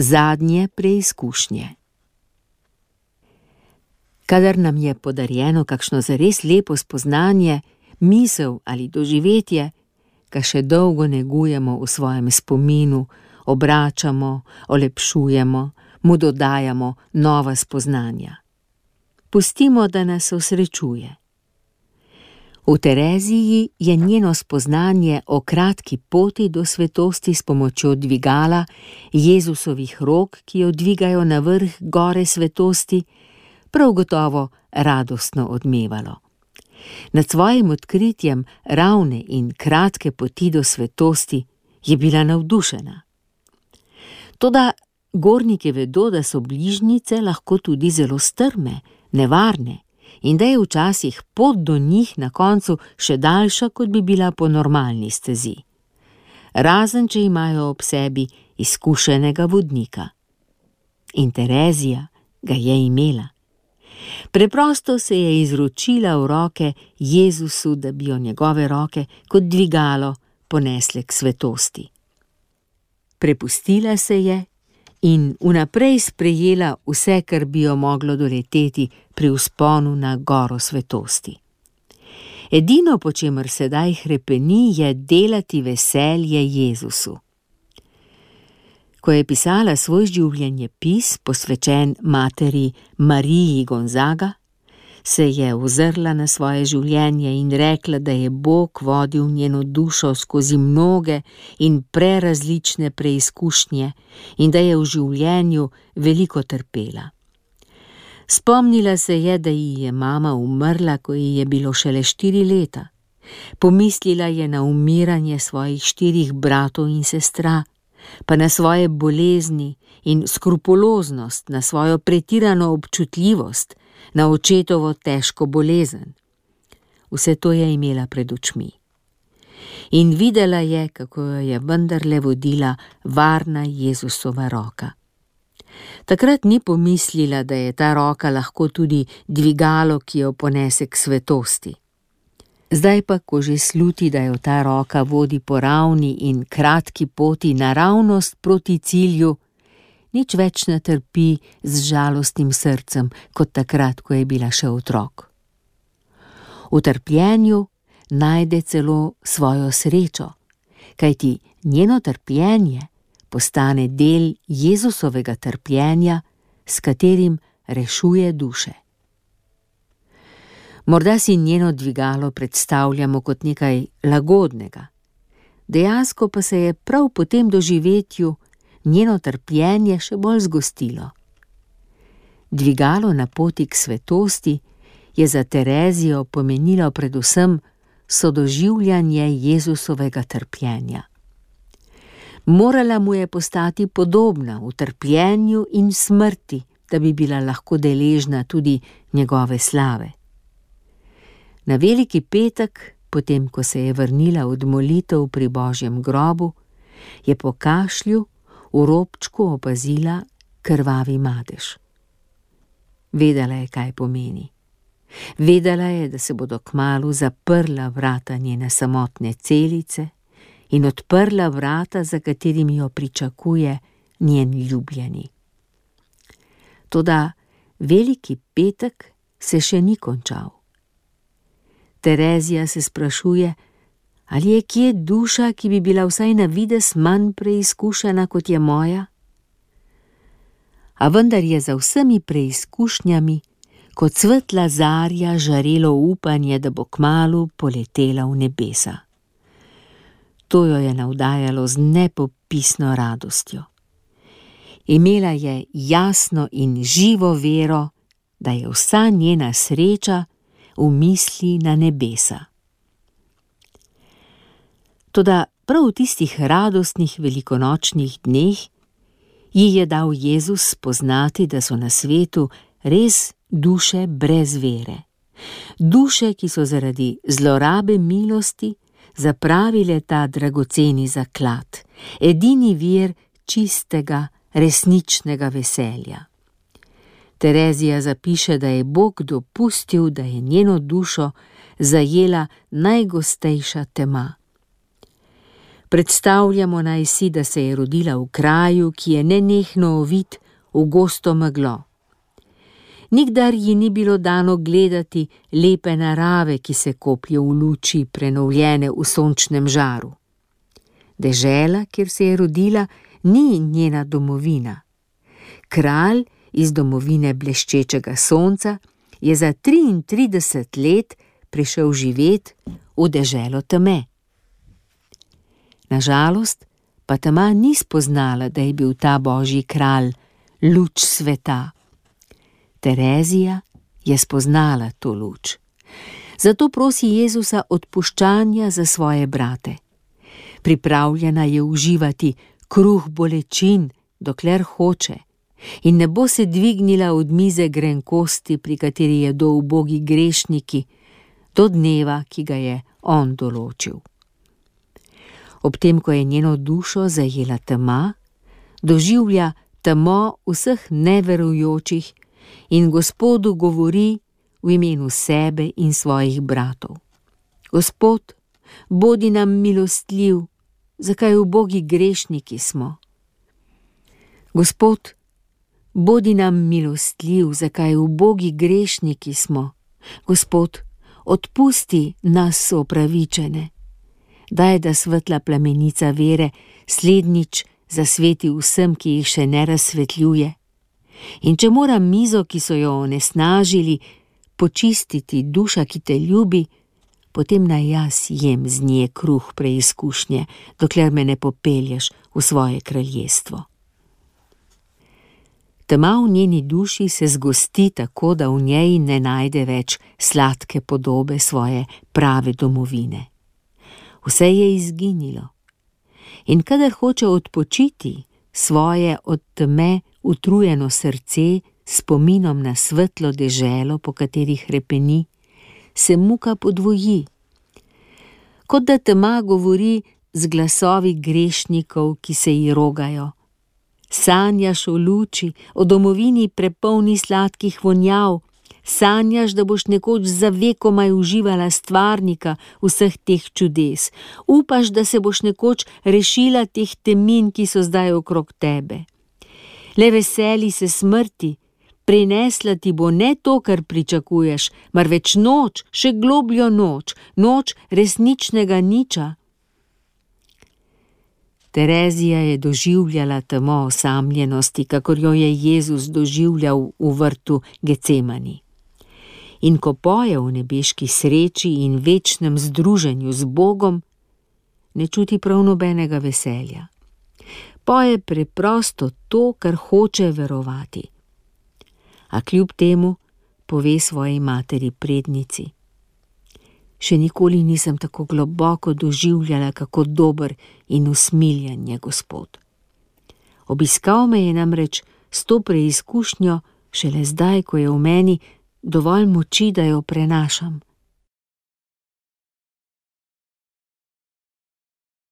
Zadnje preizkušnje. Kadar nam je podarjeno kakšno zares lepo spoznanje, misel ali doživetje, ga še dolgo negujemo v svojem spominu, obračamo, olepšujemo, mu dodajamo nova spoznanja. Pustimo, da nas osrečuje. V Tereziji je njeno spoznanje o kratki poti do svetosti s pomočjo dvigala, Jezusovih rok, ki jo dvigajo na vrh gore svetosti, prav gotovo radostno odmevalo. Nad svojim odkritjem ravne in kratke poti do svetosti je bila navdušena. Toda gorniki vedo, da so bližnjice lahko tudi zelo strme, nevarne in da je včasih pot do njih na koncu še daljša, kot bi bila po normalni stezi. Razen, če imajo ob sebi izkušenega vodnika. In Terezija ga je imela. Preprosto se je izročila v roke Jezusu, da bi jo njegove roke kot dvigalo ponesle k svetosti. Prepustila se je in vnaprej sprejela vse, kar bi jo moglo doleteti pri vzponu na goro svetosti. Edino, po čemer sedaj hrepeni, je delati veselje Jezusu. Ko je pisala svoj življenjepis, posvečen materi Mariji Gonzaga, se je ozrla na svoje življenje in rekla, da je Bog vodil njeno dušo skozi mnoge in prerazlične preizkušnje in da je v življenju veliko trpela. Spomnila se je, da ji je mama umrla, ko ji je bilo šele 4 leta. Pomislila je na umiranje svojih 4 bratov in sestra, pa na svoje bolezni in skrupuloznost, na svojo pretirano občutljivost, na očetovo težko bolezen. Vse to je imela pred očmi. In videla je, kako jo je vendarle vodila varna Jezusova roka. Takrat ni pomislila, da je ta roka lahko tudi dvigalo, ki jo ponese k svetosti. Zdaj pa, ko že sluti, da jo ta roka vodi po ravni in kratki poti naravnost proti cilju, nič več ne trpi z žalostnim srcem, kot takrat, ko je bila še otrok. V trpljenju najde celo svojo srečo, kajti njeno trpljenje postane del Jezusovega trpljenja, s katerim rešuje duše. Morda si njeno dvigalo predstavljamo kot nekaj lagodnega. Dejansko pa se je prav po tem doživetju njeno trpljenje še bolj zgostilo. Dvigalo na poti k svetosti je za Terezijo pomenilo predvsem sodoživljanje Jezusovega trpljenja. Morala mu je postati podobna v trpljenju in smrti, da bi bila lahko deležna tudi njegove slave. Na veliki petek, potem ko se je vrnila od molitev pri Božjem grobu, je po kašlju v robčku opazila krvavi madež. Vedela je, kaj pomeni. Vedela je, da se bodo kmalu zaprla vrata njene samotne celice in odprla vrata, za katerimi jo pričakuje njen ljubljeni. Toda veliki petek se še ni končal. Terezija se sprašuje, ali je kje duša, ki bi bila vsaj na videz manj preizkušena, kot je moja? A vendar je za vsemi preizkušnjami kot svetla zarja žarelo upanje, da bo kmalu poletela v nebesa. To jo je navdajalo z nepopisno radostjo. Imela je jasno in živo vero, da je vsa njena sreča v misli na nebesa. Toda prav v tistih radostnih velikonočnih dneh ji je dal Jezus spoznati, da so na svetu res duše brez vere. Duše, ki so zaradi zlorabe milosti zapravile ta dragoceni zaklad, edini vir čistega, resničnega veselja. Terezija zapiše, da je Bog dopustil, da je njeno dušo zajela najgostejša tema. Predstavljamo naj si, da se je rodila v kraju, ki je nenehno ovit v gosto meglo. Nikdar ji ni bilo dano gledati lepe narave, ki se koplje v luči, prenovljene v sončnem žaru. Dežela, kjer se je rodila, ni njena domovina. Kralj iz domovine bleščečega sonca je za 33 let prišel živet v deželo teme. Nažalost pa tema ni spoznala, da je bil ta božji kralj luč sveta. Terezija je spoznala to luč. Zato prosi Jezusa odpuščanja za svoje brate. Pripravljena je uživati kruh bolečin, dokler hoče, in ne bo se dvignila od mize grenkosti, pri kateri jedo ubogi grešniki, do dneva, ki ga je on določil. Ob tem, ko je njeno dušo zajela tema, doživlja temo vseh neverujočih in Gospodu govori v imenu sebe in svojih bratov. Gospod, bodi nam milostljiv, zakaj ubogi grešniki smo. Gospod, bodi nam milostljiv, zakaj ubogi grešniki smo. Gospod, odpusti nas opravičene. Daj, da svetla plamenica vere slednjič zasveti vsem, ki jih še ne razsvetljuje. In če mora mizo, ki so jo onesnažili, počistiti duša, ki te ljubi, potem naj jaz jem z nje kruh preizkušnje, dokler me ne popelješ v svoje kraljestvo. Tema v njeni duši se zgosti tako, da v njej ne najde več sladke podobe svoje prave domovine. Vse je izginilo. In kadar hoče odpočiti svoje od teme utrujeno srce spominom na svetlo deželo, po kateri hrepeni, se muka podvoji. Kot da tema govori z glasovi grešnikov, ki se ji rogajo. Sanjaš o luči, o domovini prepolni sladkih vonjav, sanjaš, da boš nekoč za vekomaj uživala stvarnika vseh teh čudes, upaš, da se boš nekoč rešila teh temin, ki so zdaj okrog tebe. Le veseli se smrti, prinesla ti bo ne to, kar pričakuješ, marveč noč, še globljo noč, noč resničnega niča. Terezija je doživljala temo osamljenosti, kakor jo je Jezus doživljal v vrtu Gecemani. In ko poje v nebeški sreči in večnem združenju z Bogom, ne čuti prav nobenega veselja. Poje preprosto to, kar hoče verovati. A kljub temu pove svoji materi prednici: Še nikoli nisem tako globoko doživljala, kako dober in usmiljen je Gospod. Obiskal me je namreč s to preizkušnjo šele zdaj, ko je v meni dovolj moči, da jo prenašam.